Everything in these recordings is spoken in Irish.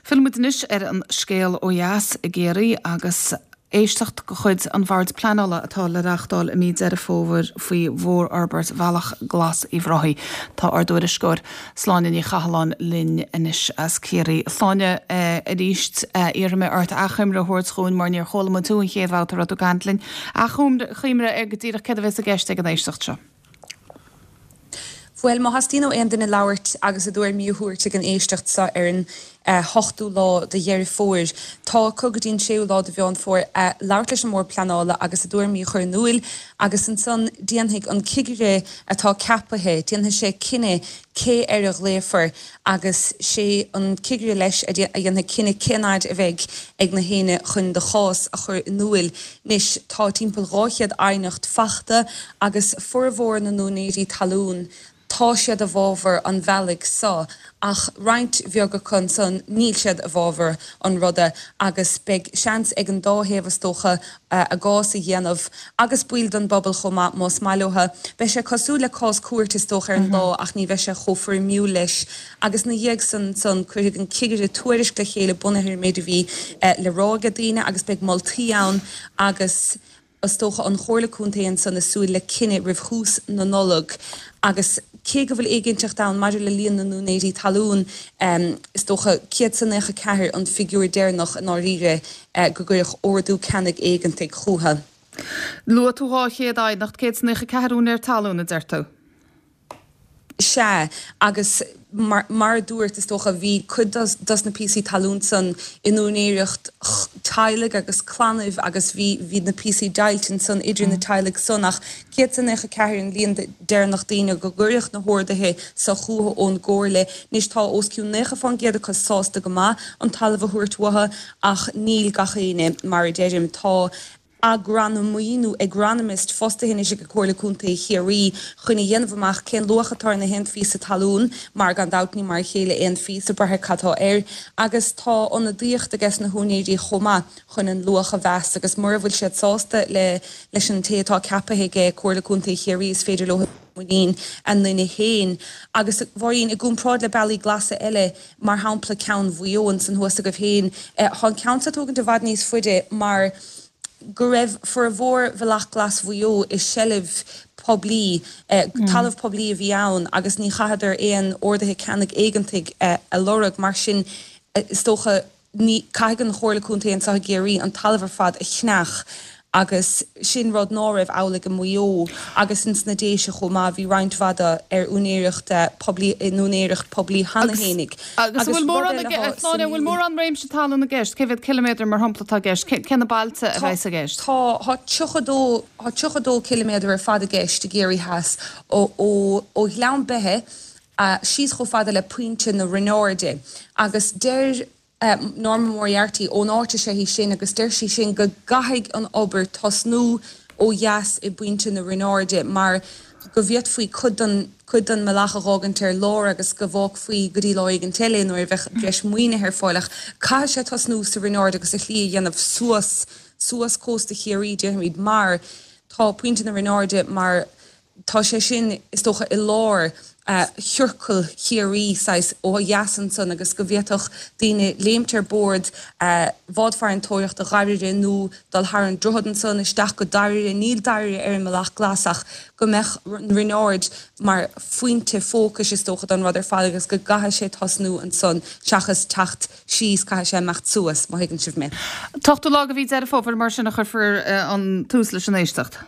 Fillfidh muid anois ar an scéal ó dheas i gCiarraí agus éisteacht de chuid an Bhoird Pleanála atá le reáchtáil i mí Deireadh Fómhair faoi mhórfhorbairt Bhealach Glas Uíbh Ráthaigh. Tá ár dtuairisceoir Sláine Ní Chathalláin linn anois as Ciarraí. A Shláine, arís iarrfaidh mé ort achoimre a thabhairt dhúinn mar níor chuala muid thú an chéad bhabhta a raibh tú ag caint linn. Achoimre ar go díreach céard a bheas i gceist ag an éisteacht seo. Bhuel, má theastaíonn ó aon duine labhairt agus a dtuairimí a thabhairt ag an éisteacht seo ar an 8ú lá de Dheireadh Fómhair, tá acu go dtí an 6ú lá de Mheán Fómhair labhairt leis an mBord Pleanála agus a dtuairimí a chur in iúil agus ansan déanfaidh an cigire atá ceapaithe, déanfaidh sé cinneadh cé air a ghlaofar agus sé an cigire leis a dhéanfaidh cinneadh cén fhaid a bheidh ag na héinne chun do chás a chur in iúil. Anois tá timpeall 200 aighneacht fachta agus formhór na n-úinéirí talún, tá siad i bhfabhar an bhealaigh so ach roinnt bheag acu ansan níl siad i bhfabhar an ruda agus beidh seans ag an dá thaobh is dócha a gcás a dhéanamh agus baill den bpobal chomh maith más maith leo. Beidh sé cosúil le cás cúirte is dócha ar an lá ach ní bheidh sé chomh foirmiúil leis agus ina dhiaidh san ansan cuirfidh an cigire tuairisc le chéile bunaithe ar an méid a bhí le rá ag daoine agus beidh moltaí ann agus is dócha an Chomhairle Contae ansan ag súil le cinneadh roimh thús na Nollag agus cé go bhfuil éiginnteacht ann maidir le líon na n-úinéirí talún, is dócha 194 an figiúr deireanach i ndáiríre go gcuireadh ordú ceannaigh éigeantaigh chucu. Luaigh tú 200 aighneacht, 194 úinéir talún, a deir tú? Sea, agus mar a dúrt, is dócha, bhí cuid dos na píosaí talún san in úinéireacht teaghlaigh agus clannaibh agus bhí, bhí na píosaí deighilte ansan idir na teaghlaigh san ach 194 an líon deireanach daoine go gcuireadh na horduithe so chucu ón gComhairle. Anois tá os cionn 90% acu sásta go maith an talamh a thabhairt uathu ach níl gach éinne, mar a deirim. Tá agranamaí nó agronomist fostaithe anois ag Comhairle Contae Chiarraí chun a dhéanamh amach cén luach atá ar na haon phíosa talún mar gan dabht ní mar a chéile aon phíosa, brath ar cad tá air, agus tá ionadaíocht ages na húinéirí chomh maith chun an luach a mheas agus mura bhfuil siad sásta le leis an té atá ceapaithe ag Comhairle Contae Chiarraí is féidir leo muinín a nduine féin. Agus a Mháirín, i gcomparáid le bealaí glasa eile, mar shampla ceann Mhaigh Eo ansan thuas agaibh féin, tá an ceann seo ag tógaint i bhfad níos faide mar go raibh formhór Bhealach Glas Mhaigh Eo i seilbh poiblí, talamh poiblí a bhí ann agus ní chaitheadar aon orduithe ceannaigh éigeantaigh a lorg. Mar sin, is dócha, Ní, caithfidh an Chomhairle Contae anseo i gCiarraí an talamh ar fad a cheannach agus sin rud ná raibh amhlaidh i Maigh Eo agus ins na Déise chomh maith, bhí roinnt mhaith de ar úinéireacht poiblí, in úinéireacht poiblí cheana fhéinig. Agus an bhfuil mórán, a Shláine, an bhfuil mórán réimse talún i gceist? Cé mhéad ciliméadar mar shampla atá i gceist? Cé na bailte a bheas i gceist? Tá, tá 32, tá 32 ciliméadar ar fad i gceist i gCiarraí Theas, ó, ó, ó Ghleann Beithe síos chomh fada le Pointe na Roinne agus deir Norma Moriarty ón áit is ea í sin agus deir sí sin go gcaithfidh an obair tosnú ó dheas i bPointe na Roinne mar go bhféadfaí cuid den cuid den mbealach a dh'fhágaint ar lár agus go bhfágfaí go dtí lá éigint eile nuair a bheadh breis maoinithe ar fáil ach caithfidh sé tosnú sa Rinn Aird agus a shlí a dhéanamh suas suas cósta Chiarraí déarfaimid mar tá Pointe na Roinne Airde mar Tá sé sin, is dócha, i lár chiorcal Chiarraí, saghas, ó dheas ansan agus go bhféadfadh daoine léimt ar bord bhád farantóireachta Dhairbhre nó dul thar an droichead ansan isteach go Dairbhre, níl Dairbhre ar an mBealach Glas ach go mbeadh an Rinn Ard mar phointe fócais, is dócha, don rud ar fad agus go gcaithfidh sé tosnú ansan seachas teacht síos, caithfidh sé imeacht suas, má thuigeann sibh mé. An t-ochtú lá de mhí Deireadh Fómhair mar sin a chuirfear an tús leis an éisteacht.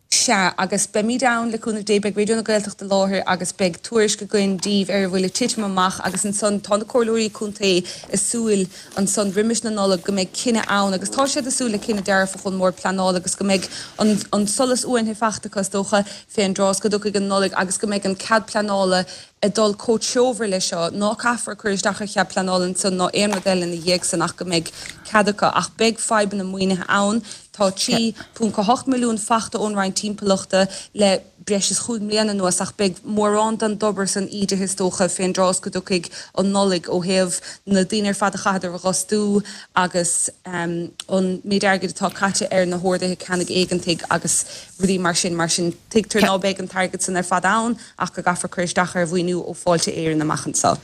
Sea, agus beimid ann, le cúnamh Dé, beidh Raidió na Gaeltachta i láthair agus beidh tuairisc againn daoibh ar a bhfuil ag titim amach agus ansan tá na Comhairleoirí Contae ag súil ansan roimis na Nollag go mbeidh cinneadh ann agus tá siad ag súil le cinneadh dearfach ón mBord Pleanála agus go mbeidh an an solas uainthe fachta acu is dócha fén dtráth is go dtiocfaidh an Nollaig agus go mbeidh an cead pleanála ag dul chomh treofar leis seo, ná caithfear cur isteach ar chead pleanála ansan ná aon rud eile ina dhiaidh san ach go mbeidh cead acu. Ach beidh fadhbanna maoinithe ann. Tá 3.8 milliún fachta ón Roinn Timpeallachta le breis is chúig mbliana anuas ach beidh mórán den obair san ídithe is dócha fén dtráth is go dtiocfaidh an Nollaig ó thaobh na daoine ar fad a chaitheadar a dh'fhostú agus an méid airgid atá caite ar na horduithe ceannaigh éigeantaigh agus rudaí mar sin. Mar sin tuigtear ná beidh an t-airgead san ar fad ann ach go gcaithfear cur isteach ar mhaoiniú ó Fáilte Éireann amach anseo.